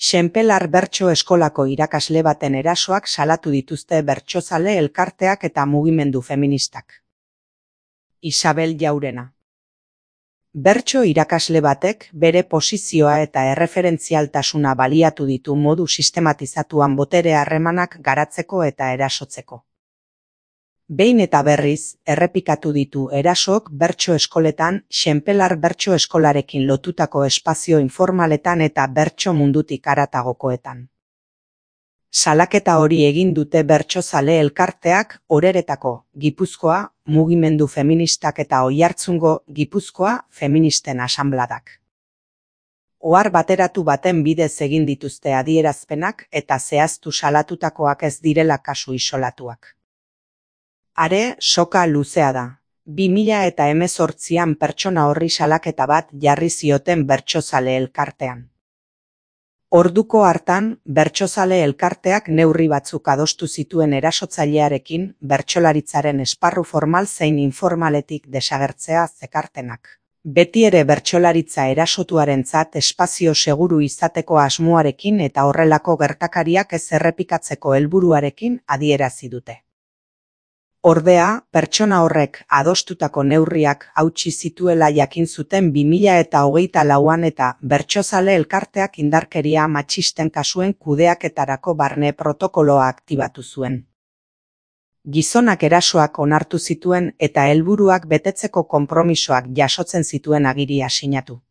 Xenpelar bertso eskolako irakasle baten erasoak salatu dituzte bertsozale elkarteak eta mugimendu feministak. Isabel Jaurena. Bertso irakasle batek bere posizioa eta erreferentzialtasuna baliatu ditu modu sistematizatuan botere harremanak garatzeko eta erasotzeko. Behin eta berriz, errepikatu ditu erasoak bertso eskoletan, Xenpelar bertso eskolarekin lotutako espazio informaletan eta bertso mundutik haratagokoetan. Salaketa hori egin dute bertsozale elkarteak Oreretako, Gipuzkoa, mugimendu feministak eta Oiartzungo, Gipuzkoa, feministen asanbladak. Ohar bateratu baten bidez egin dituzte adierazpenak eta zehaztu salatutakoak ez direla kasu isolatuak. Are, soka luzea da. 2018an pertsona horri salaketa bat jarri zioten bertsozale elkartean. Orduko hartan, bertsozale elkarteak neurri batzuk adostu zituen erasotzailearekin bertsolaritzaren esparru formal zein informaletik desagertzea zekartenak. Beti ere bertsolaritza erasotuarentzat espazio seguru izateko asmoarekin eta horrelako gertakariak ez errepikatzeko helburuarekin adierazi dute. Ordea, pertsona horrek adostutako neurriak hautsi zituela jakin zuten 2024an eta bertsozale elkarteak indarkeria matxisten kasuen kudeaketarako barne protokoloa aktibatu zuen. Gizonak erasoak onartu zituen eta helburuak betetzeko konpromisoak jasotzen zituen agiria sinatu.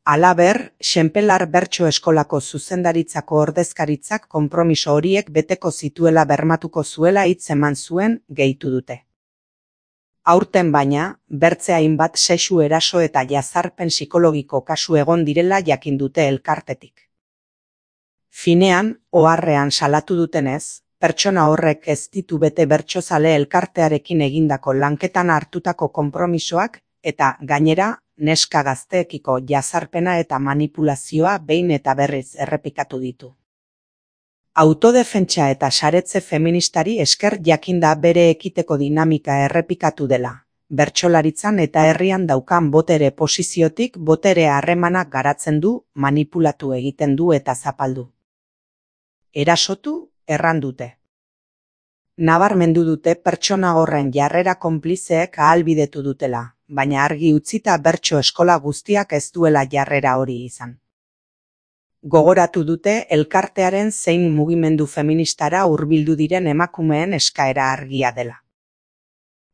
Halaber, Xenpelar bertso eskolako zuzendaritzako ordezkaritzak konpromiso horiek beteko zituela bermatuko zuela hitz eman zuen, gehitu dute. Aurten baina, bertze hainbat sexu eraso eta jazarpen psikologiko kasu egon direla jakin dute elkartetik. Finean, oharrean salatu dutenez, pertsona horrek ez ditu bete bertsozale elkartearekin egindako lanketan hartutako konpromisoak eta, gainera, neska gazteekiko jazarpena eta manipulazioa behin eta berriz errepikatu ditu. Autodefentsa eta saretze feministari esker jakinda bere ekiteko dinamika errepikatu dela, bertsolaritzan eta herrian daukan botere posiziotik botere harremanak garatzen du, manipulatu egiten du eta zapaldu. Erasotu, erran dute. Nabarmendu dute pertsona horren jarrera konplizeek ahalbidetu dutela, baina argi utzita bertso eskola guztiak ez duela jarrera hori izan. Gogoratu dute elkartearen zein mugimendu feministara hurbildu diren emakumeen eskaera argia dela.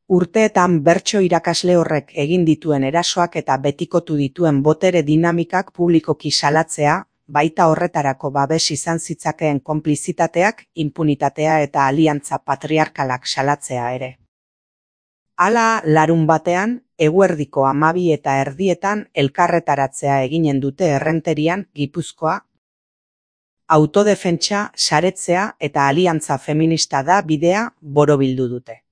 Urteetan bertso irakasle horrek egin dituen erasoak eta betikotu dituen botere dinamikak publikoki salatzea, baita horretarako babes izan zitzakeen konplizitateak, inpunitatea eta aliantza patriarkalak salatzea ere. Hala, larunbatean, eguerdiko 12:30 elkarretaratzea eginen dute Errenterian, Gipuzkoa. Autodefentsa, saretzea eta aliantza feminista da bidea borobildu dute.